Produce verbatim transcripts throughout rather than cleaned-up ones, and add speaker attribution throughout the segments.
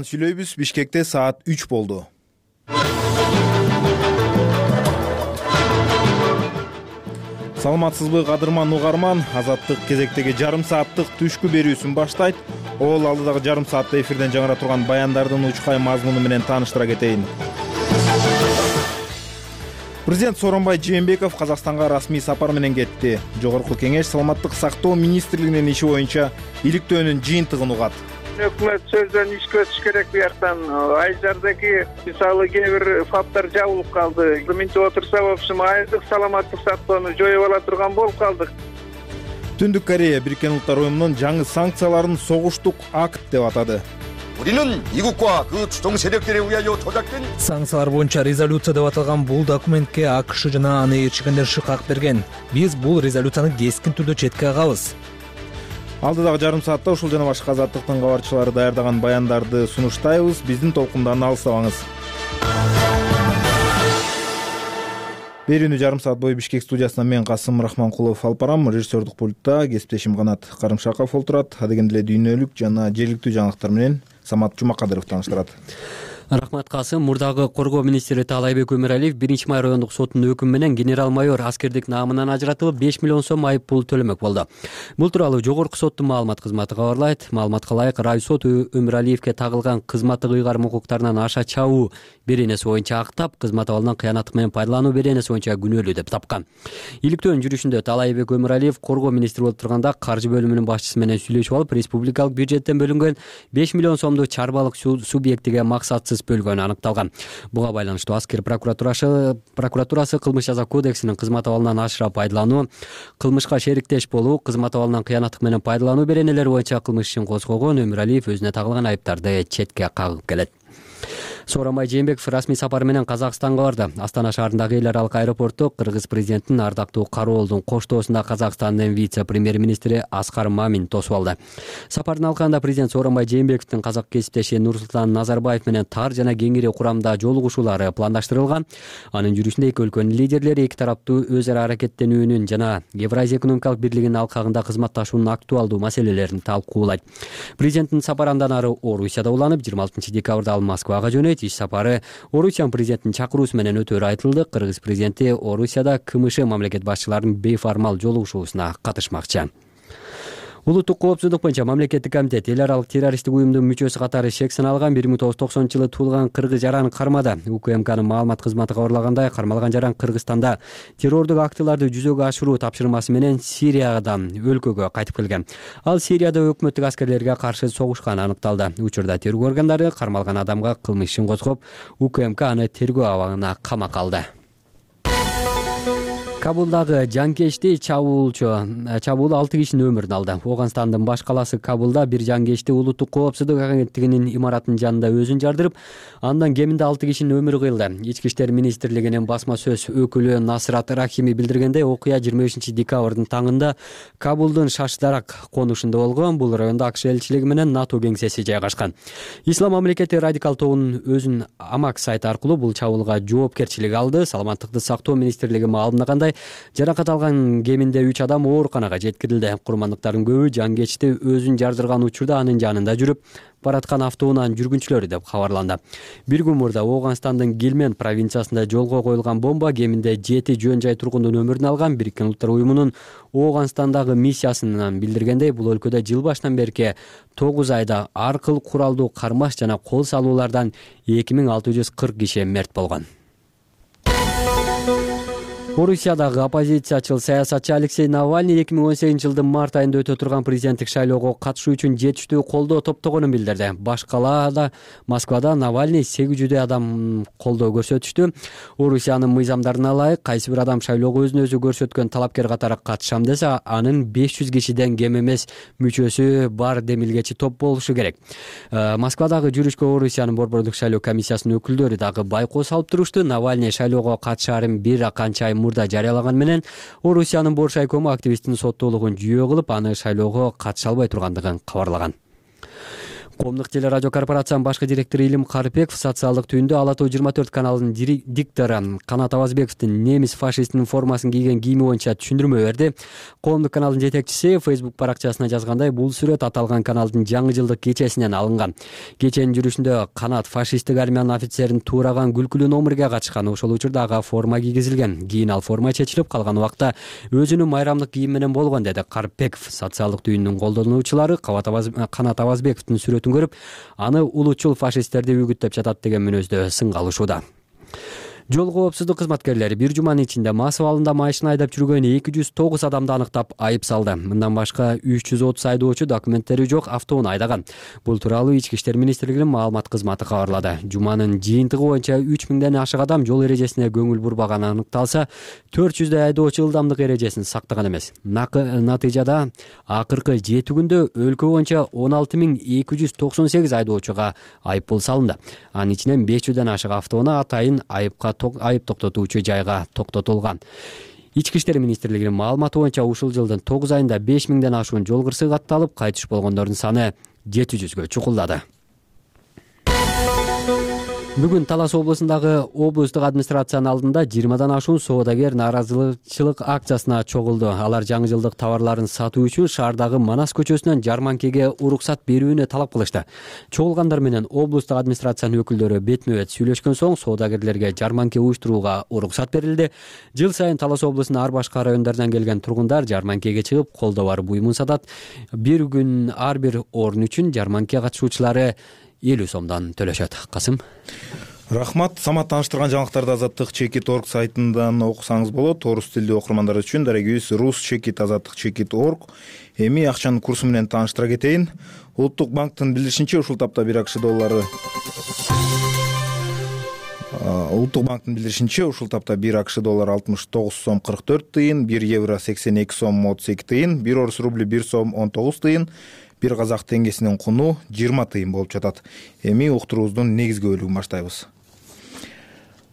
Speaker 1: Сүйлөйбүз. Бишкекте саат үч болду. Саламатсызбы кадырман угарман, Азаттык кезектеги жарым сааттык түшкү берүүсүн баштайт. Ол алдыдагы жарым саатта эфирден жаңыра турган баяндардын учкай мазмуну менен тааныштыра кетейин. Президент Сооронбай Жээнбеков Казакстанга расмий сапар менен кетти. Жогорку кеңеш саламаттык сактоо министрлигинин иши боюнча иликтөөнүн жыйынтыгын угат.
Speaker 2: Өкмөт сөздөн ишке өтүш керек буяктан. Айжардагы мисалы кээ бир фактар жабылып калды. Минтип отурса, в общем, айрдык саламаттык сактоону жоюп ала турган болуп калдык.
Speaker 1: Түндүк Корея Бириккен Улуттар уюмунун жаңы санкцияларын согуштук акт деп атады.
Speaker 3: 우리는 미국과 그 주동 세력들에 의하여 조작된
Speaker 4: санкциялар боюнча резолюция деп аталган бул документке АКШ жана анын элчигендери шыкак берген. Биз бул резолюцияны кескин түрдө четке кагабыз.
Speaker 1: Алдыдагы жарым саатта ушул жана башка азаттыктын кабарчылары даярдаган баяндарды сунуштайбыз. Биздин толкундан алыстабаңыз. Берүүнү жарым саат бою Бишкек студиясынан мен Касым Рахманкулов алып барам. Режиссердук пультта кесиптешим Канат Карымшаков отурат. Адегенде эле дүйнөлүк жана жергиликтүү жаңылыктар менен Самат Жумакадыров тааныштырат.
Speaker 5: Рахмат Касым. Мурдагы коргоо министри Таалайбек Өмүралиев биринчи май райондук сотунун өкүмү менен генерал-майор аскердик наамынан ажыратылып беш миллион сом айып пул төлөмөк болду. Бул тууралуу жогорку соттун маалымат кызматы кабарлайт. Маалыматка ылайык, райсот Өмүралиевке тагылган кызматтык ыйгарым укуктарынан аша чабуу беренеси боюнча актап, кызмат абалынан кыянаттык менен пайдалануу беренеси боюнча күнөөлүү деп тапкан. Иликтөөнүн жүрүшүндө Таалайбек Өмүралиев коргоо министри болуп турганда каржы бөлүмүнүн башчысы менен сүйлөшүп алып, республикалык бюджеттен бөлүнгөн беш миллион сомду чарбалык субъектиге максатсыз бөлгөнү аныкталган. Буга байланыштуу аскер прокуратурасы прокуратурасы кылмыш жаза кодексинин кызмат абалынан ашыра пайдалануу, кылмышка шериктеш болуу, кызмат абалынан кыянаттык менен пайдалануу беренелери боюнча кылмыш ишин козгогон. Өмүралиев өзүнө тагылган айыптарды четке кагып келет. Сооронбай Жээнбеков расмий сапар менен Казакстанга барды. Астана шаарындагы эл аралык аэропортто кыргыз президентин ардактуу Кароолдун коштоосунда Казакстандын вице-премьер-министри Аскар Мамин тосуп алды. Сапардын алкагында президент Сооронбай Жээнбековдун казак кесиптеши Нурсултан Назарбаев менен тар жана кеңири курамда жолугушуулары пландаштырылган. Анын жүрүшүндө эки өлкөнүн лидерлери эки тараптуу өз ара аракеттенүүнүн жана Евразия экономикалык бирлигинин алкагында кызматташуунун актуалдуу маселелерин талкуулайт. Президенттин сапары андан ары Орусияда уланып, жыйырма алтынчы декабрда ал Москвага жөнөйт. Иш сапары Орусиянын президентинин чакыруусу менен өтөөрү айтылды. Кыргыз президенти Орусияда КМШ мамлекет башчыларынын бейформал жолугушуусуна катышмакчы. Улуттук коопсуздук боюнча мамлекеттик комитет эл аралык террористтик уюмдун мүчөсү катары шек саналган бир миң тогуз жүз токсонунчу жылы туулган кыргыз жараны кармады. УКМКнын маалымат кызматы кабарлагандай, кармалган жаран Кыргызстанда террордук актыларды жүзөгө ашыруу тапшырмасы менен Сириядан өлкөгө кайтып келген. Ал Сирияда өкмөттүк аскерлерге каршы согушканы аныкталды. Учурда тергөө органдары кармалган адамга кылмыш ишин козгоп, УКМК аны тергөө абагына камакка алды. Кабулдагы жанкечти чабуулчу чабуул алты кишинин өмүрүн алды. Ооганстандын баш калаасы Кабулда бир жанкечти улуттук коопсуздук агенттигинин имаратынын жанында өзүн жардырып, андан кеминде алты кишинин өмүрү кыйылды. Ички иштер министрлигинин басма сөз өкүлү Насрат Рахими билдиргендей, окуя жыйырма бешинчи декабрдын таңында Кабулдун Шашдарак конушунда болгон. Бул райондо АКШ элчилиги менен НАТО кеңсеси жайгашкан. Ислам мамлекети радикал тобунун өзүн Амак сайты аркылуу бул чабуулга жоопкерчилик алды. Саламаттыкты сактоо министрлиги маалымдагандай, жаракат алган кеминде үч адам ооруканага жеткирилди. Курмандыктардын көбү жанкечти өзүн жардырган учурда анын жанында жүрүп бараткан автоунаанын жүргүнчүлөрү деп кабарланды. Бир күн мурда Ооганстандын Гилмент провинциясында жолго коюлган бомба кеминде жети жөн жай тургундун өмүрүн алган. Бириккен Улуттар уюмунун Ооганстандагы миссиясынан билдиргендей, бул өлкөдө жыл башынан берки тогуз айда ар кыл куралдуу кармаш жана кол салуулардан эки миң алты жүз кырк киши мерт болгон. Орусиядагы оппозициячыл саясатчы Алексей Навальный эки миң он сегизинчи жылдын март айында өтө турган президенттик шайлоого катышуу үчүн жетиштүү колдоо топтогонун билдирди. Баш калаада Москвада Навальный сегиз жүздөй адам колдоо көрсөтүштү. Орусиянын мыйзамдарына ылайык, кайсы бир адам шайлоого өзүн өзү көрсөткөн талапкер катары катышам десе, анын беш жүз кишиден кем эмес мүчөсү бар демилгечи топ болушу керек. Москвадагы жүрүшкө Орусиянын борбордук шайлоо комиссиясынын өкүлдөрү дагы байкоо салып турушту. Навальный шайлоого катышаарын бир канча ай мурда жарыялаган менен Орусиянын бош айкому активисттин соттуулугун жүйө кылып, аны шайлоого катыша албай тургандыгын кабарлаган. Коомдук телерадио корпорациянын башкы директору Илим Карыпбеков социалдык түйүндө Ала тоо жыйырма төрт каналынын диктору Канат Абазбековдун немис фашистинин формасын кийген кийими боюнча түшүндүрмө берди. Коомдук каналдын жетекчиси Facebook баракчасына жазгандай, бул сүрөт аталган каналдын жаңы жылдык кечесинен алынган. Кеченин жүрүшүндө Канат фашисттик армиянын офицерин туураган күлкүлүү номерге катышкан. Ошол учурда ага форма кийгизилген. Кийин ал форма чечилип, калган убакта өзүнүн майрамдык кийими менен болгон, деди Карыпбеков. Социалдык түйүндүн колдонуучулары Канат Абазбековдун сүрөтүн көрүп, аны улутчул фашисттерди үгүттөп жатат деген мүнөздө сынга алышууда. Жол коопсуздук кызматкерлери бир жуманын ичинде мас абалында машина айдап жүргөн эки жүз тогуз адамды аныктап айып салды. Мындан башка үч жүз отуз айдоочу документтери жок автоунаа айдаган. Бул тууралуу Ички иштер министрлигинин маалымат кызматы кабарлады. Жуманын жыйынтыгы боюнча үч миңден ашык адам жол эрежесине көңүл бурбаганы аныкталса, төрт жүздөй айдоочу ылдамдык эрежесин сактаган эмес. Натыйжада акыркы жети күндө өлкө боюнча он алты миң эки жүз токсон сегиз айдоочуга айып пул салынды. Анын ичинен беш жүздөн ашык автоунаа атайын айыпка айып токтотуучу жайга токтотулган. Ички иштер министрлигинин маалыматы боюнча ушул жылдын тогуз айында беш миңден ашуун жол кырсыгы катталып, кайтыш болгондордун саны жети жүзгө чукулдады. Бүгүн Талас облусундагы облустук администрациянын алдында жыйырмадан ашуун соодагер нааразычылык акциясына чогулду. Алар жаңы жылдык товарларын сатуу үчүн шаардагы Манас көчөсүнөн жарманкеге уруксат берүүнү талап кылышты. Чогулгандар менен облустук администрациянын өкүлдөрү бетме-бет сүйлөшкөн соң соодагерлерге жарманке уюштурууга уруксат берилди. Жыл сайын Талас облусунун ар башка райондордон келген тургундар жарманкеге чыгып, колдо бар буюмун сатат. Бир күн ар бир орун үчүн жарманке катышуучулары элүү сомдон төлөшөт. Касым.
Speaker 1: Рахмат. Самат тааныштырган жаңылыктарды азаттык чекит точка орг сайтынан окусаңыз болот. Орус тилдүү окурмандар үчүн дарегибиз рус чекит азаттык чекит точка орг. Эми акчанын курсу менен тааныштыра кетейин. Улуттук банктын билдиришинче, ушул тапта бир акш доллары Улуттук банктын билдиришинче, ушул тапта бир акш доллары алтымыш тогуз сом кырк төрт тыйын, бир евро сексен эки сом отуз эки тыйын, бир орус рубли бир сом он тогуз тыйын, бир казак теңгесинин куну жыйырма тыйын болуп жатат. Эми уктуруубуздун негизги бөлүгүн баштайбыз.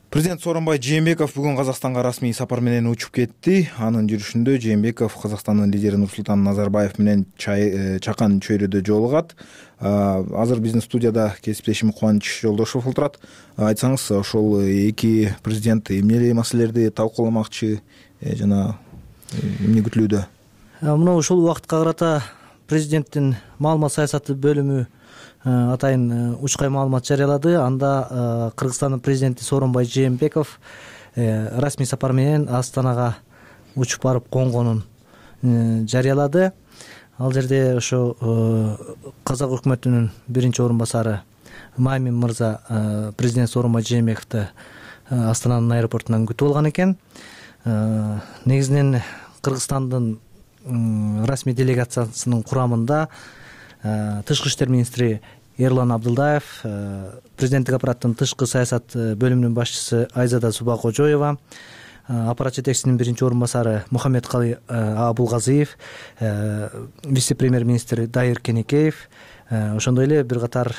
Speaker 1: Президент Сооронбай Жээнбеков бүгүн Казакстанга расмий сапар менен учуп кетти. Анын жүрүшүндө Жээнбеков Казакстандын лидери Нурсултан Назарбаев менен чакан чөйрөдө жолугат. Азыр биздин студияда кесиптешим Кубаныч Жолдошов отурат. Айтсаңыз, ошол эки президент эмне эле маселелерди талкууламакчы жана эмне күтүлүүдө?
Speaker 6: Мына ушул убакытка карата президенттин маалымат саясаты бөлүмү атайын учкай маалымат жарыялады. Анда Кыргызстандын президенти Сооронбай Жээнбеков расмий сапар менен Астанага учуп барып конгонун жарыялады. Ал жерде ошо казак өкмөтүнүн биринчи орун басары Мамин мырза президент Сооронбай Жээнбековду Астананын аэропортунан күтүп алган экен. Негизинен Кыргызстандын расмий делегациясынын курамында тышкы иштер министри Эрлан Абдылдаев, президенттик аппараттын тышкы саясат бөлүмүнүн башчысы Айзада Субакожоева, аппарат жетекчисинин биринчи орун басары Мухаммедкалый Абулгазиев, вице-премьер-министр Дайыр Кенекеев, ошондой эле бир катар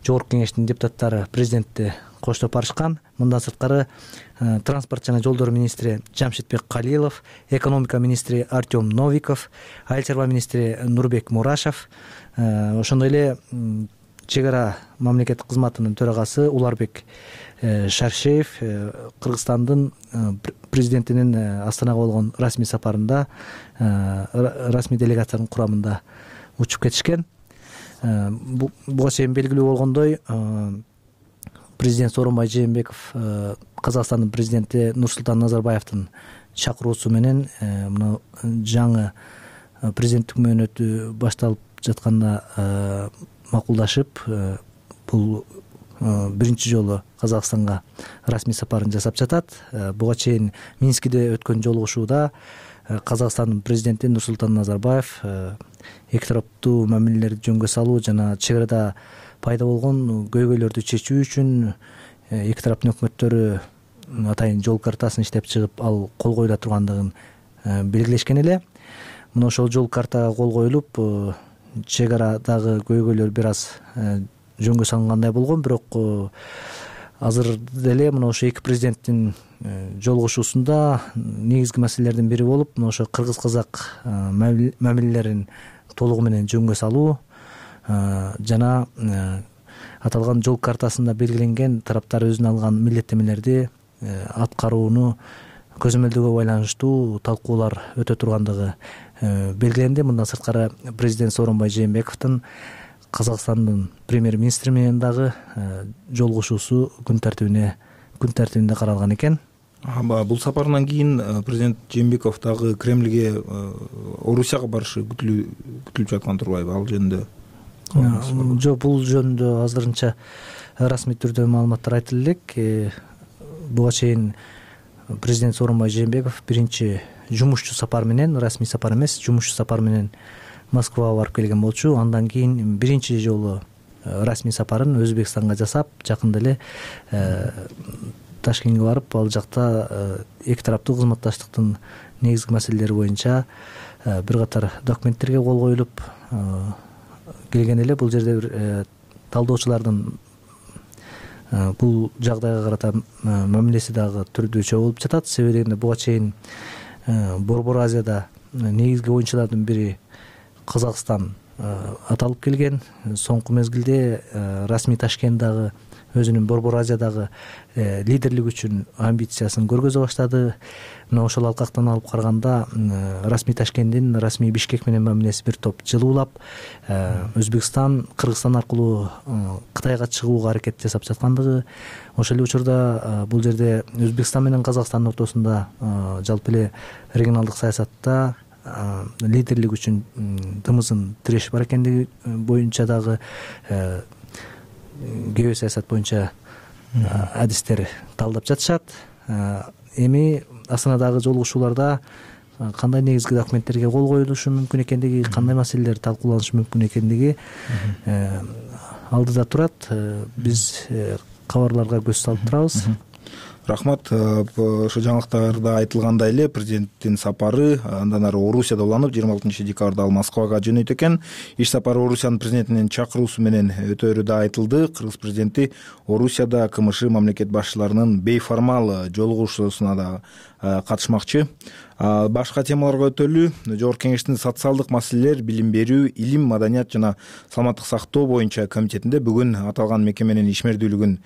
Speaker 6: жогорку кеңештин депутаттары президентти коштоп барышкан. Мындан сырткары транспорт жана жолдор министри Жамшитбек Калилов, экономика министри Артем Новиков, айыл чарба министри Нурбек Мурашев, ошондой эле чек ара мамлекеттик кызматынын төрагасы Уларбек Шаршеев Кыргызстандын президентинин Астанага болгон расмий сапарында расмий делегациянын курамында учуп кетишкен. Буга чейин белгилүү болгондой, президент Сооронбай Жээнбеков Казакстандын президенти Нурсултан Назарбаевдин чакыруусу менен мына жаңы президенттик мөөнөтү башталып жатканда макулдашып, бул биринчи жолу Казакстанга расмий сапарын жасап жатат. Буга чейин Минскиде өткөн жолугушууда Казакстандын президенти Нурсултан Назарбаев эки тараптуу мамилелерди жөнгө салуу жана чек арада пайда болгон көйгөйлөрдү чечүү үчүн эки тараптын өкмөттөрү атайын жол картасын иштеп чыгып, ал кол коюла тургандыгын белгилешкен эле. Мына ошол жол картага кол коюлуп, чек арадагы көйгөйлөр бир аз жөнгө салынгандай болгон, бирок азыр деле мына ошо эки президенттин жолугушуусунда негизги маселелердин бири болуп, мына ошо кыргыз-казак мамилелерин толугу менен жөнгө салуу, жана аталган жол картасында белгиленген тараптар өзүнө алган милдеттемелерди аткарууну көзөмөлдөөгө байланыштуу талкуулар өтө тургандыгы белгиленди. Мындан сырткары президент Сооронбай Жээнбековдун Казакстандын премьер-министри менен дагы жолугушуусу күн тартибине күн тартибинде каралган экен.
Speaker 1: Бул сапарынан кийин президент Жээнбеков дагы Кремльге Орусияга барышы күтүлүп жаткан турбайбы? Ал жөнүндө
Speaker 6: жок, бул жөнүндө азырынча расмий түрдө маалыматтар айтылып элек. Буга чейин президент Сооронбай Жээнбеков биринчи жумушчу сапар менен, расмий сапар эмес, жумушчу сапар менен Москвага барып келген болчу. Андан кийин биринчи жолу расмий сапарын Өзбекстанга жасап, жакында эле Ташкентке барып, ал жакта эки тараптуу кызматташтыктын негизги маселелери боюнча бир катар документтерге кол коюлуп келген эле. Бул жерде бир талдоочулардын бул жагдайга карата мамилеси дагы түрдүүчө болуп жатат. Себеби дегенде буга чейин Борбор Азияда негизги оюнчулардын бири Казакстан аталып келген. Соңку мезгилде расмий Ташкент дагы өзүнүн Борбор Азиядагы лидерлик үчүн амбициясын көргөзө баштады. Мына ошол алкактан алып караганда расмий Ташкенттин расмий Бишкек менен мамилеси бир топ жылуулап, Өзбекстан Кыргызстан аркылуу Кытайга чыгууга аракет жасап жаткандыгы, ошол эле учурда бул жерде Өзбекстан менен Казакстандын ортосунда жалпы эле регионалдык саясатта лидерлик үчүн тымызын тиреш бар экендиги боюнча дагы гео саясат боюнча адистер талдап жатышат. Эми Астанадагы жолугушууларда кандай негизги документтерге кол коюлушу мүмкүн экендиги, кандай маселелер талкууланышы мүмкүн экендиги алдыда турат. Биз кабарларга көз салып турабыз.
Speaker 1: Рахмат. Ошо жаңылыктарда айтылгандай эле президенттин сапары андан ары Орусияда уланып, жыйырма алтынчы декабрда ал Москвага жөнөйт экен. Иш сапары Орусиянын президентинин чакыруусу менен өтөөрү да айтылды. Кыргыз президенти Орусияда КМШ мамлекет башчыларынын бейформал жолугушуусуна да катышмакчы. Башка темаларга өтөлү. Жогорку Кеңештин социалдык маселелер, билим берүү, илим, маданият жана саламаттык сактоо боюнча комитетинде бүгүн аталган мекеменин ишмердүүлүгүн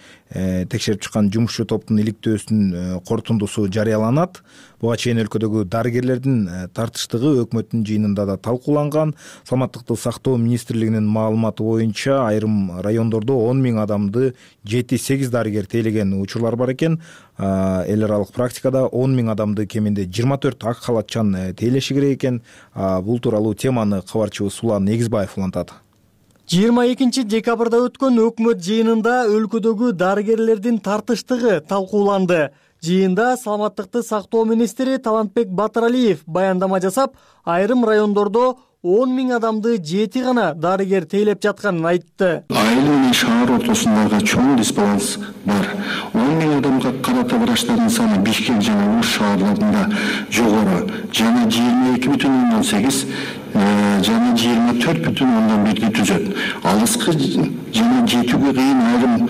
Speaker 1: текшерип чыккан жумушчу топтун иликтөөсүнүн корутундусу жарыяланат. Буга чейин өлкөдөгү дарыгерлердин тартыштыгы өкмөттүн жыйынында да талкууланган. Саламаттыкты сактоо министрлигинин маалыматы боюнча айрым райондордо он миң адамды жети сегиз дарыгер тейлеген учурлар бар экен. Эл аралык практикада он миң адамды кеминде жыйырма төрт ак халатчан тейлеши керек экен. Бул тууралуу теманы кабарчыбыз Улан Негизбаев улантат.
Speaker 7: жыйырма экинчи декабрда өткөн өкмөт жыйынында өлкөдөгү дарыгерлердин тартыштыгы талкууланды. Жыйында саламаттыкты сактоо министри Талантбек Батыралиев баяндама жасап, айрым райондордо он миң адамды жети гана дарыгер тейлеп жатканын айтты.
Speaker 8: Айыл менен шаар ортосундагы чоң дисбаланс бар. он миң адамга карата врачтардын саны Бишкек жана Уш шаарларында жогору, жана жыйырма эки бүтүн ондон сегиз жана жыйырма төрт бүтүн ондон бирди түзөт. Алыскы жана жетүүгө кыйын айрым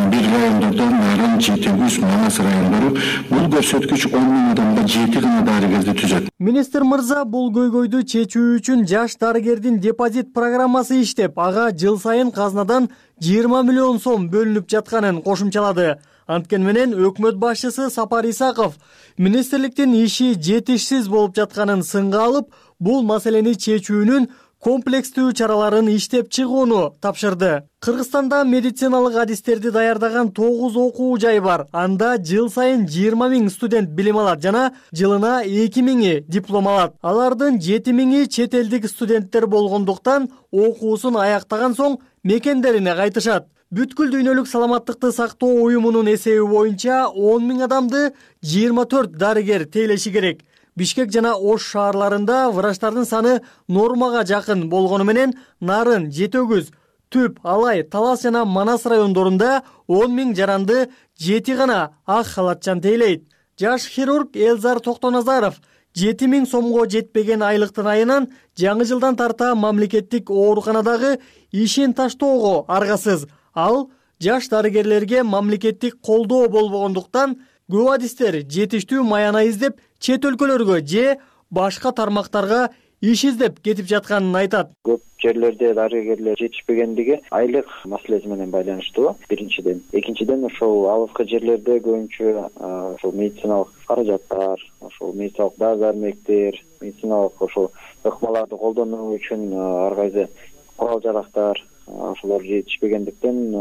Speaker 8: бир райондордо, Нарын, Жетегүз, Манас райондору бул көрсөткүч он миң адамга жети гана дарыгерди түзөт.
Speaker 7: Министр мырза бул көйгөйдү чечүү үчүн жаш дарыгердин депозит программасы иштеп, ага жыл сайын казнадан жыйырма миллион сом бөлүнүп жатканын кошумчалады. Анткени менен өкмөт башчысы Сапар Исаков министрликтин иши жетишсиз болуп жатканын сынга алып, бул маселени чечүүнүн комплекстүү чараларын иштеп чыгууну тапшырды. Кыргызстанда медициналык адистерди даярдаган тогуз окуу жай бар. Анда жыл сайын жыйырма миң студент билим алат жана жылына эки миңи диплом алат. Алардын жети миңи чет элдик студенттер болгондуктан окуусун аяктаган соң мекендерине кайтышат. Бүткүл дүйнөлүк саламаттыкты сактоо уюмунун эсеби боюнча он миң адамды жыйырма төрт дарыгер тейлеши керек. Бишкек жана Ош шаарларында врачтардын саны нормага жакын болгону менен Нарын, Жетегүз, Түп, Алай, Талас жана Манас райондорунда он миң жаранды жети гана ак халатчан тейлейт. Жаш хирург Элзар Токтоназаров жети миң сомго жетпеген айлыктын айынан жаңы жылдан тарта мамлекеттик ооруканадагы ишин таштоого аргасыз. Ал жаш дарыгерлерге мамлекеттик колдоо болбогондуктан көп адистер жетиштүү маяна издеп чет өлкөлөргө же башка тармактарга иш издеп кетип жатканын айтат.
Speaker 9: Көп жерлерде дарыгерлер жетишпегендиги айлык маселеси менен байланыштуу биринчиден. Экинчиден ошол алыскы жерлерде көбүнчө ошол медициналык каражаттар, ошол медициналык дары-дармектер, медициналык ошол ыкмаларды колдонуу үчүн ар кайсы курал жарактар ошолор жетишпегендиктен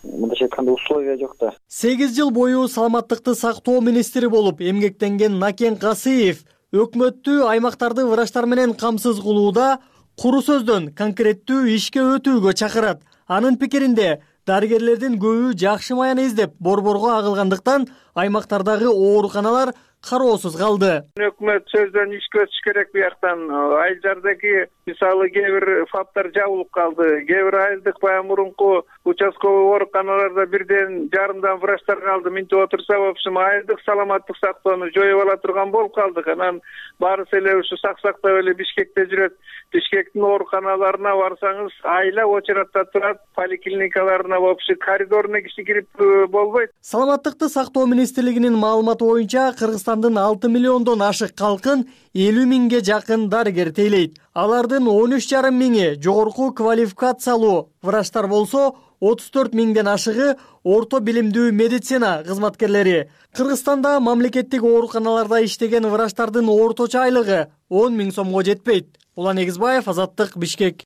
Speaker 9: мындайча айтканда условия жок да.
Speaker 7: сегиз жыл бою саламаттыкты сактоо министри болуп эмгектенген Накен Касыев өкмөттү аймактарды врачтар менен камсыз кылууда куру сөздөн конкреттүү ишке өтүүгө чакырат. Анын пикиринде дарыгерлердин көбү жакшы маяны издеп борборго агылгандыктан аймактардагы ооруканалар кароосуз калды.
Speaker 2: Өкмөт сөздөн ишке өтүш керек бияктан. Айылдардагы мисалы кээ бир фаптар жабылып калды. Кээ бир айылдык баягы мурунку участковый ооруканаларда бирден жарымдан врачтар калды. Минтип отурса, в общем, айылдык саламаттык сактоону жоюп ала турган болуп калдык. Анан баарысы эле ушу сак-сактап эле Бишкекте жүрөт. Бишкектин ооруканаларына барсаңыз, айла очередде турат, поликлиникаларына вообще коридоруна киши кирип болбойт.
Speaker 7: Саламаттыкты сактоо министрлигинин маалыматы боюнча Кыргызстандын алты миллиондон ашык калкын элүү миңге жакын дарыгер тейлейт. Алардын он үч жарым миңи жогорку квалификациялуу врачтар болсо, отуз төрт миңден ашыгы орто билимдүү медицина кызматкерлери. Кыргызстанда мамлекеттик ооруканаларда иштеген врачтардын орточо айлыгы он миң сомго жетпейт. Улан Эгизбаев, Азаттык, Бишкек.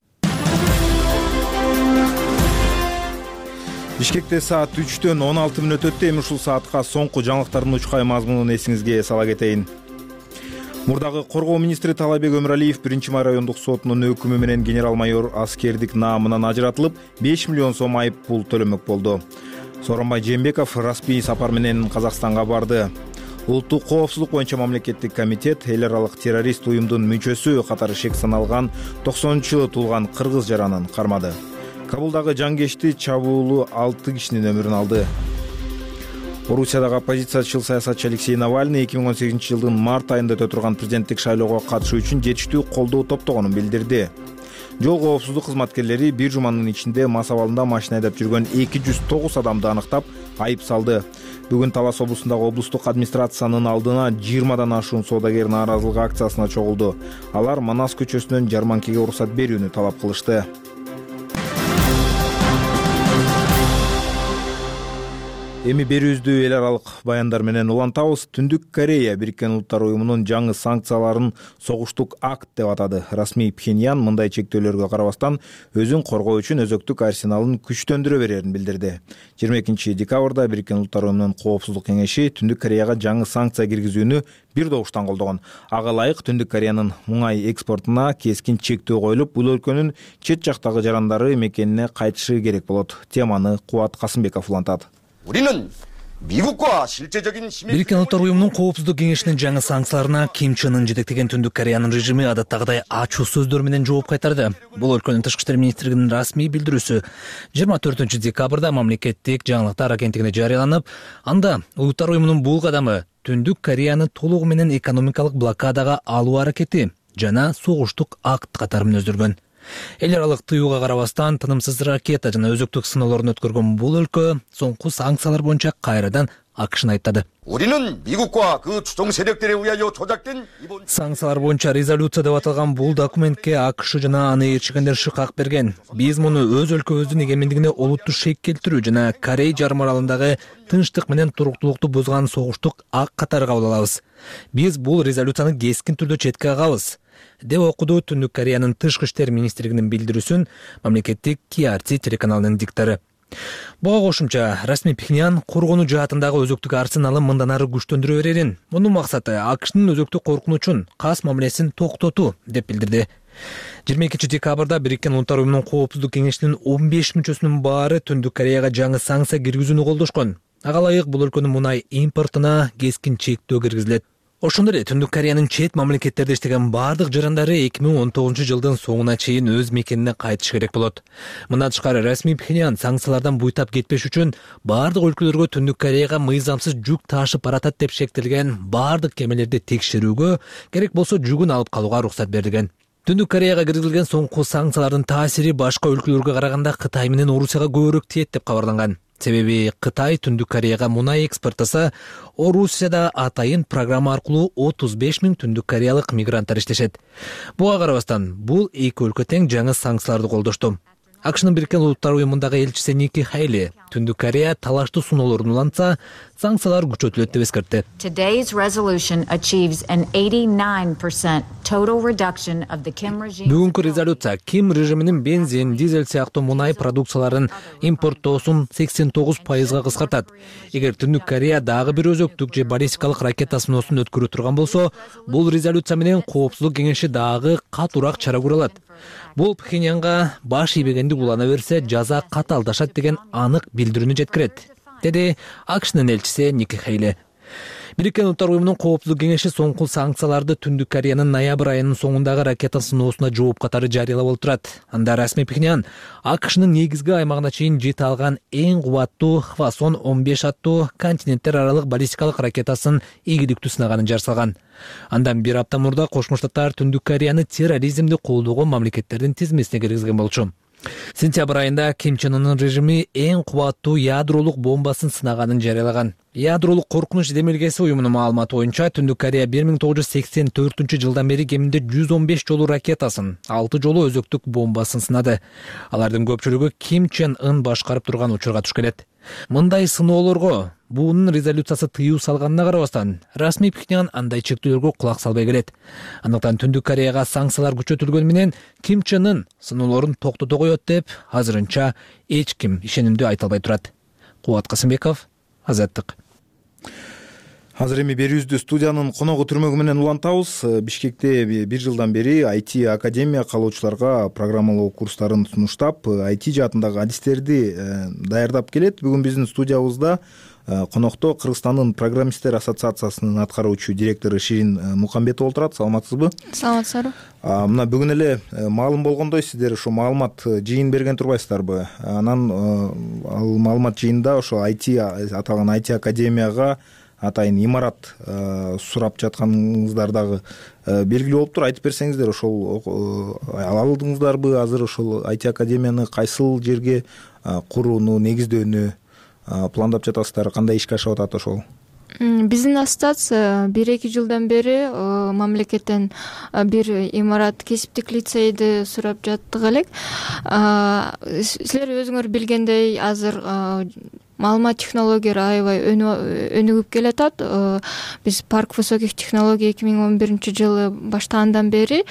Speaker 1: Бишкекте саат үчтөн он алты мүнөт өттү. Эми ушул саатка соңку жаңылыктардын учкай мазмунун эсиңизге сала кетейин. Мурдагы коргоо министри Таалайбек Өмүралиев биринчи май райондук сотунун өкүмү менен генерал-майор аскердик наамынан ажыратылып, беш миллион сом айып пул төлөмөк болду. Сооронбай Жээнбеков расмий сапар менен Казакстанга барды. Улуттук коопсуздук боюнча мамлекеттик комитет эл аралык террорист уюмдун мүчөсү катары шек саналган токсонунчу жылы туулган кыргыз жаранын кармады. Кабулдагы жангечти чабуулу алты кишинин өмүрүн алды. Орусиядагы оппозициячыл саясатчы Алексей Навальный эки миң он сегизинчи жылдын март айында өтө турган президенттик шайлоого катышуу үчүн жетиштүү колдоо топтогонун билдирди. Жол коопсуздук кызматкерлери бир жуманын ичинде мас абалында машина айдап жүргөн эки жүз тогуз адамды аныктап, айып салды. Бүгүн Талас облусундагы облустук администрациянын алдына жыйырмадан ашуун соодагер нааразылык акциясына чогулду. Алар Манас көчөсүнөн жарманкеге уруксат берүүнү талап кылышты. Эми берүүбүздү эл аралык баяндар менен улантабыз. Түндүк Корея Бириккен Улуттар уюмунун жаңы санкцияларын согуштук акт деп атады. Расмий Пхеньян мындай чектөөлөргө карабастан өзүн коргоо үчүн өзөктүк арсеналын күчтөндүрө берерин билдирди. жыйырма экинчи декабрда Бириккен Улуттар уюмунун коопсуздук кеңеши Түндүк Кореяга жаңы санкция киргизүүнү бир добуштан колдогон. Ага ылайык Түндүк Кореянын муңай экспортуна кескин чектөө коюлуп, бул өлкөнүн чет жактагы жарандары мекенине кайтышы керек болот. Теманы Кубат Касымбеков улантат.
Speaker 3: 우리는 미국과 실제적인
Speaker 4: Бириккен Улуттар уюмунун коопсуздук кеңешинин жаңы санкцияларына Ким Чен Ын жетектеген Түндүк Кореянын режими адаттагыдай ачуу сөздөр менен жооп кайтарды. Бул өлкөнүн тышкы иштер министрлигинин расмий билдирүүсү жыйырма төртүнчү декабрда мамлекеттик жаңылыктар агенттигине жарыяланып, анда Улуттар уюмунун бул кадамы Түндүк Кореяны толугу менен экономикалык блокадага алуу аракети жана согуштук акт катары мүнөздөргөн. Эл аралык тыюуга карабастан тынымсыз ракета жана өзөктүк сыноолорун өткөргөн бул өлкө соңку санкциялар боюнча кайрадан акышын айттады.
Speaker 3: 우리는 미국과 그 추종 세력들에 의하여 조작된 이번
Speaker 4: Санкциялар боюнча резолюция деп аталган бул документке АКШ жана аны ээрчигендер шыкак берген. Биз муну өз өлкөбүздүн эгемендигине олуттуу шек келтирүү жана Корей жарым аралындагы тынчтык менен туруктуулукту бузган согуштук акт катары кабыл алабыз. Биз бул резолюцияны кескин түрдө четке кагабыз, деп окуду Түндүк Кореянын тышкы иштер министрлигинин билдирүүсүн мамлекеттик Ки Ар Ти телеканалынын диктору. Буга кошумча расмий Пхеньян коргонуу жаатындагы өзөктүк арсеналын мындан ары күчтөндүрө берерин, мунун максаты АКШнын өзөктүк коркунучун, кас мамилесин токтотуу деп билдирди. жыйырма экинчи декабрда Бириккен Улуттар уюмунун коопсуздук кеңешинин он беш мүчөсүнүн баары Түндүк Кореяга жаңы санкция киргизүүнү колдошкон. Ага ылайык бул өлкөнүн мунай импортуна кескин чектөө киргизилет. Ошондой эле Түндүк Кореянын чет мамлекеттерде иштеген бардык жарандары эки миң он тогузунчу жылдын соңуна чейин өз мекенине кайтыш керек болот. Мындан тышкары расмий Пхеньян санкциялардан буйтап кетпеш үчүн бардык өлкөлөргө Түндүк Кореяга мыйзамсыз жүк ташып баратат деп шектелген бардык кемелерди текшерүүгө, керек болсо жүгүн алып калууга уруксат берилген. Түндүк Кореяга киргизилген соңку санкциялардын таасири башка өлкөлөргө караганда Кытай менен Орусияга көбүрөөк тиет деп кабарланган. Себеби Кытай Түндүк Кореяга мунай экспорттаса, Орусияда атайын программа аркылуу отуз беш миң Түндүк Кореялык мигранттар иштешет. Буга карабастан, бул эки өлкө тең жаңы санкцияларды колдошту. АКШнын Бириккен Улуттар уюмундагы элчиси Ники Хейли Түндүк Корея талаштуу суноолорун улантса, санкциялар күчөтүлөт деп эскертти.
Speaker 10: Today's resolution achieves an eighty-nine percent total reduction of the Kim regime.
Speaker 4: Бүгүнкү резолюция Ким режиминин бензин, дизель сыяктуу мунай продукцияларын импорттоосун сексен тогуз пайызга кыскартат. Эгер Түндүк Корея дагы бир өзөктүк же баллистикалык ракета сыноосун өткөрө турган болсо, бул резолюция менен Коопсуздук кеңеши дагы катуураак чара көрө алат. Бул Пхеньянга баш ийбегенди улана берсе, жаза каталдашат деген анык билдирүүнү жеткирет, деди АКШнын элчиси Ники Хейли. Бириккен Улуттар уюмунун Коопсуздук кеңеши соңку санкцияларды Түндүк Кореянын ноябрь айынын соңундагы ракета сыноосуна жооп катары жарыялап отурат. Анда расмий Пхеньян АКШнын негизги аймагына чейин жете алган эң кубаттуу Хвасон он беш аттуу континенттер аралык баллистикалык ракетасын ийгиликтүү сынаганын жарсалган. Андан бир апта мурда Кошмо Штаттар Түндүк Кореяны терроризмди колдогон мамлекеттердин тизмесине киргизген болчу. Сентябрь айында Ким Чен Ынын режими эң кубаттуу ядролук бомбасын сынаганын жарыялаган. Ядролук коркунуч демилгеси уюмунун маалыматы боюнча Түндүк Корея бир миң тогуз жүз сексен төртүнчү жылдан бери кеминде жүз он беш жолу ракетасын, алты жолу өзөктүк бомбасын сынады. Алардын көпчүлүгү Ким Чен Ын башкарып турган учурга туш келет. Мындай сыноолорго буунун резолюциясы тыюу салганына карабастан, расмий Пхеньян андай чектөөлөргө кулак салбай келет. Андыктан Түндүк Кореяга санкциялар күчөтүлгөнү менен Ким Чен Ын сыноолорун токтото коет деп азырынча эч ким ишенимдүү айта албай турат. Кубат Касымбеков, Азаттык.
Speaker 1: Азыр эми берүүбүздү студиянын коногу түрмөгү менен улантабыз. Бишкекте бир жылдан бери ай ти академия каалоочуларга программалоо курстарын сунуштап, ай ти жаатындагы адистерди даярдап келет. Бүгүн биздин студиябызда конокто Кыргызстандын программисттер ассоциациясынын аткаруучу директору Ширин Мукамбетова отурат. Саламатсызбы?
Speaker 11: Саламатсызбы.
Speaker 1: Мына бүгүн эле маалым болгондой, сиздер ошо маалымат жыйын берген турбайсыздарбы? Анан ал маалымат жыйында ошо ай ти аталган ай ти академияга атайын имарат сурап жатканыңыздар дагы белгилүү болуптур. Айтып берсеңиздер, ошол ала алдыңыздарбы? Азыр ошол ай ти академияны кайсыл жерге курууну, негиздөөнү пландап жатасыздар? Кандай ишке ашып атат ошол?
Speaker 11: Биздин ассоциация бир эки жылдан бери мамлекеттен бир имарат, кесиптик лицейди сурап жаттык элек. Силер өзүңөр билгендей, азыр маалымат технологиялары аябай өнүгүп келатат. Биз Парк высоких технологий эки миң он биринчи жылы баштагандан бери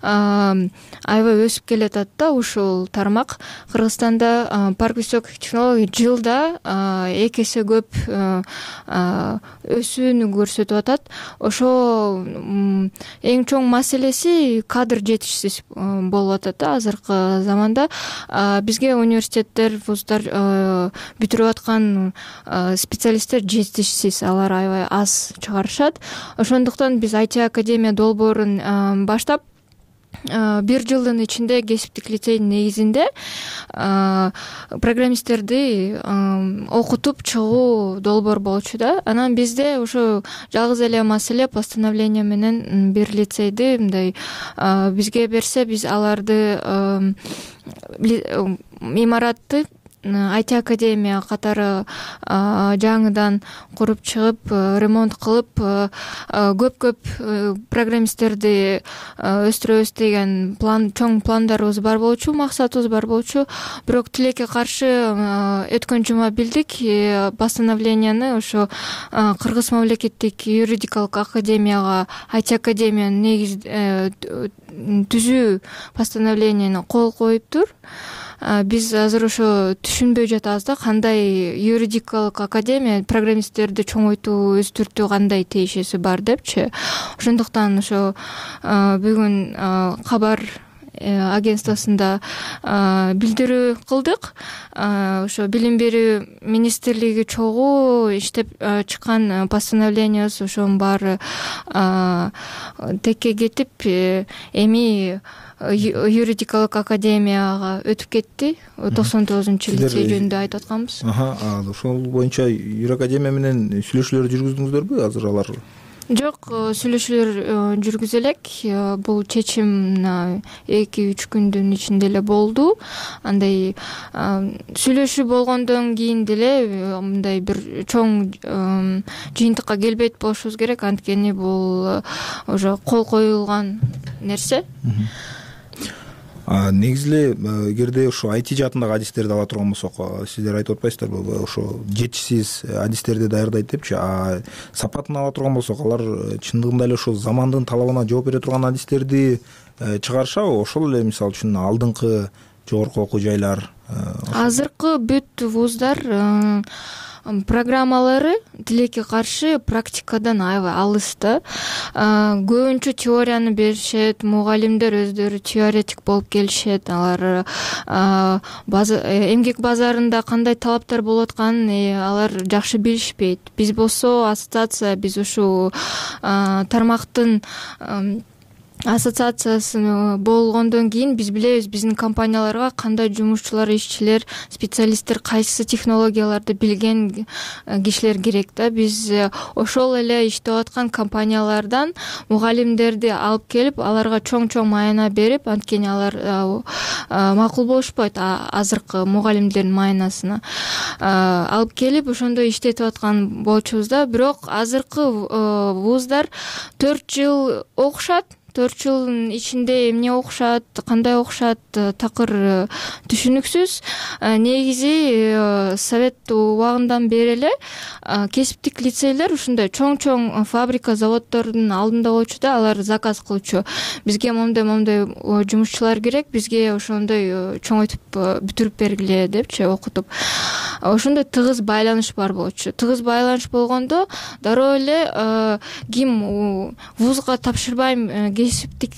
Speaker 11: аябай өсүп келатат да ушул тармак. Кыргызстанда Парк высоких технологий жылда эки эсе көп өсүүнү көрсөтүп атат. Ошо эң чоң маселеси кадр жетишсиз болуп атат да азыркы заманда. Бизге университеттер, вуздар бүтүрүп аткан специалисттер жетишсиз, алар аябай аз чыгарышат. Ошондуктан биз ай ти академия долбоорун баштап бир жылдын ичинде кесиптик лицейдин негизинде программисттерди окутуп чыгуу долбоор болчу да. Анан бизде ошо жалгыз эле маселе постановление менен бир лицейди мындай бизге берсе, биз аларды имаратты ай ти академия катары жаңыдан куруп чыгып, ремонт кылып, көп-көп программисттерди өстүрөбүз деген план, чоң пландарыбыз бар болчу, максатыбыз бар болчу. Бирок тилекке каршы өткөн жума билдик постановленияны ошо Кыргыз мамлекеттик юридикалык академияга ай ти академиянын негиз түзүү постановленияны кол коюптур. Биз азыр ошо түшүнбөй жатабыз да, кандай юридикалык академия программисттерди чоңойтуу, өстүртүү кандай тиешеси бар депчи. Ошондуктан ошо бүгүн кабар агентствосунда билдирүү кылдык. Ошо билим берүү министрлиги чогуу иштеп чыккан постановлениясы ошонун баары текке кетип, эми юридикалык академияга өтүп кетти. токсон тогузунчу лицей жөнүндө айтып атканбыз.
Speaker 1: Ошол боюнча юракадемия менен сүйлөшүүлөр жүргүздүңүздөрбү? Азыр алар
Speaker 11: Жок, сүйлөшүүлөр жүргүзө элек. Бул чечим мына эки үч күндүн ичинде эле болду. Андай сүйлөшүү болгондон кийин деле мындай бир чоң жыйынтыкка келбейт болушубуз керек, анткени бул уже кол коюлган нерсе.
Speaker 1: Негизи эле эгерде ошо ай ти жаатындагы адистерди ала турган болсок, сиздер айтып атпайсыздарбы, ошо жетишсиз адистерди даярдайт депчи, а сапатын ала турган болсок, алар чындыгында эле ошо замандын талабына жооп бере турган адистерди чыгарышабы? Ошол эле мисалы үчүн алдыңкы жогорку окуу жайлар,
Speaker 11: азыркы бүт вуздар программалары тилекке каршы практикадан аябай алыс да. Көбүнчө теорияны беришет, мугалимдер өздөрү теоретик болуп келишет. Алар эмгек базарында кандай талаптар болуп атканын алар жакшы билишпейт. Биз болсо ассоциация, биз ушул тармактын ассоциациясы болгондон кийин биз билебиз биздин компанияларга кандай жумушчулар, ишчилер, специалисттер, кайсы технологияларды билген кишилер керек да. Биз ошол эле иштеп аткан компаниялардан мугалимдерди алып келип, аларга чоң-чоң майына берип, анткени алар макул болушпайт азыркы мугалимдердин майнасына. Алып келип ошондой иштетип аткан болчубуз да. Бирок азыркы вуздар төрт жыл окушат. төрт жылдын ичинде эмне окушат, кандай окушат, такыр түшүнүксүз. Негизи совет убагындан бери эле кесиптик лицейлер ушундай чоң-чоң фабрика, заводдордун алдында болчу да, алар заказ кылчу. Бизге моундай-моундай жумушчулар керек, бизге ошондой чоңойтуп бүтүрүп бергиле депчи окутуп. Ошондой тыгыз байланыш бар болчу. Тыгыз байланыш болгондо дароо эле ким вузга тапшырбайм, кесиптик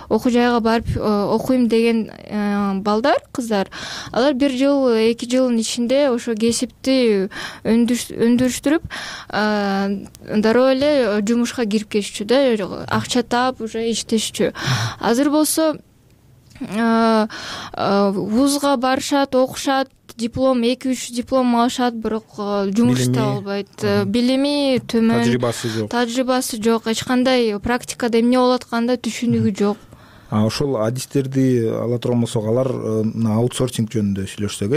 Speaker 11: окуу жайга барып окуйм деген балдар, кыздар, алар бир жыл, эки жылдын ичинде ошо кесипти өндүрүштүрүп дароо эле жумушка кирип кетишчү да, акча таап уже иштешчү. Азыр болсо вузга барышат, окушат, диплом, эки үч диплом алышат, бирок жумуш таба албайт. Билими төмөн,
Speaker 1: тажрыйбасы жок.
Speaker 11: Тажрыйбасы жок, эч кандай практикада эмне болуп атканда түшүнүгү жок.
Speaker 1: А ошол адистерди ала турган болсок, алар аутсорсинг жөнүндө сүйлөшсөк,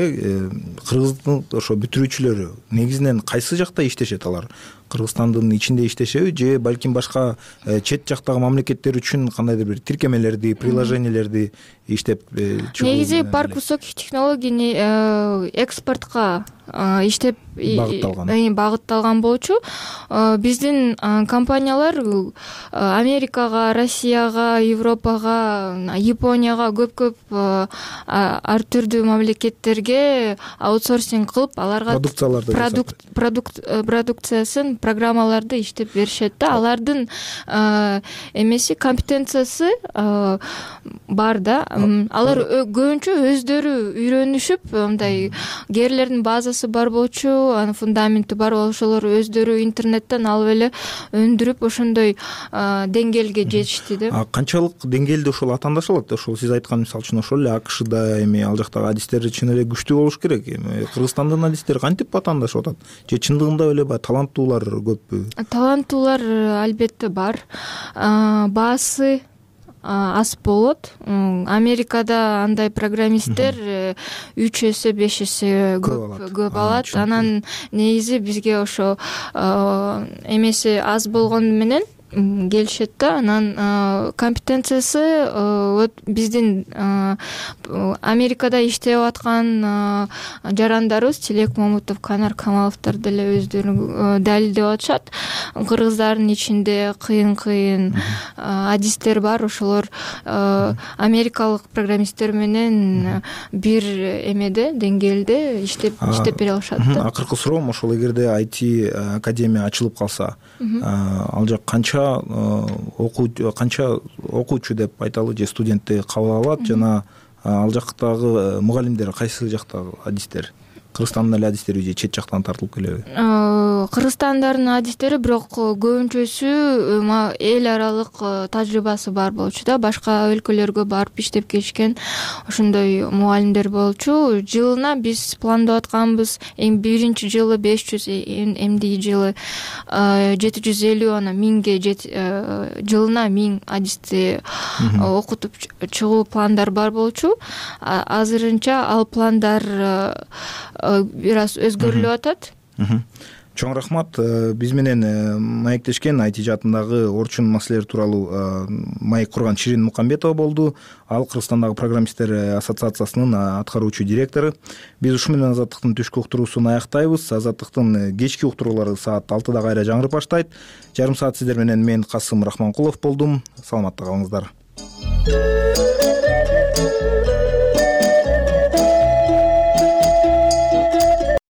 Speaker 1: кыргыздын ошо бүтүрүүчүлөрү негизинен кайсы жакта иштешет? Алар Кыргызстандын ичинде иштешеби же балким башка чет жактагы мамлекеттер үчүн кандайдыр бир тиркемелерди, приложениялерди иштеп чыгуу?
Speaker 11: Негизи парк высоких технологий экспортко иштеп
Speaker 1: багытталган
Speaker 11: багытталган болчу. Биздин компаниялар Америкага, Россияга, Европага, Японияга, көп-көп ар түрдүү мамлекеттерге аутсорсинг кылып, аларга
Speaker 1: продукцияларды
Speaker 11: продукциясын, программаларды иштеп беришет да. Алардын эмеси, компетенциясы бар да. Алар көбүнчө өздөрү үйрөнүшүп, мындай кээрлердин базасы бар болчу, анын фундаменти бар, ошолор өздөрү интернеттен алып эле өндүрүп ошондой деңгээлге жетишти да.
Speaker 1: А канчалык деңгээлде ошол атаандаш алат? Ошол сиз айткан мисалы үчүн ошол эле АКШда эми ал жактагы адистер чын эле күчтүү болуш керек. Эми Кыргызстандын адистери кантип атаандашып атат? Же чындыгында эле баягы таланттуулар көппү?
Speaker 11: Таланттуулар албетте бар. Баасы аз болот. Америкада андай программисттер үч эсе, беш эсе көп алат. Анан негизи бизге ошо эмеси аз болгону менен келишет да. Анан компетенциясы биздин Америкада иштеп аткан жарандарыбыз Тилек Момутов, Канар Камаловдор деле өздөрү далилдеп атышат. Кыргыздардын ичинде кыйын-кыйын адистер бар, ошолор америкалык программисттер менен бир эмеде, деңгээлде иштеп иштеп бере алышат да.
Speaker 1: Акыркы суроом ошол, эгерде ай ти академия ачылып калса, ал жак канча окуу канча окуучу деп айталы, же студентти кабыл алат, жана ал жактагы мугалимдер кайсы жактагы адистер? кыргызстандын эле адистери же чет жактан тартылып келеби?
Speaker 11: Кыргызстандардын адистери бирок көбүнчөсү эл аралык тажрыйбасы бар болчу да, башка өлкөлөргө барып иштеп келишкен ошондой мугалимдер болчу. Жылына биз пландап атканбыз, эми биринчи жылы беш жүз, эмди жылы жети жүз элүү, анан миңге жылына миң адисти окутуп чыгуу пландар бар болчу. Азырынча ал пландар бир аз өзгөрүлүп атат.
Speaker 1: Чоң рахмат. Биз менен маектешкен ай ти жаатындагы орчун маселелери тууралуу маек курган Ширин Мукамбетова болду. Ал Кыргызстандагы программисттер ассоциациясынын аткаруучу директору. Биз ушу менен Азаттыктын түшкү уктуруусун аяктайбыз. Азаттыктын кечки уктуруулары саат алтыда кайра жаңырып баштайт. Жарым саат сиздер менен мен Касым Рахманкулов болдум. Саламатта калыңыздар.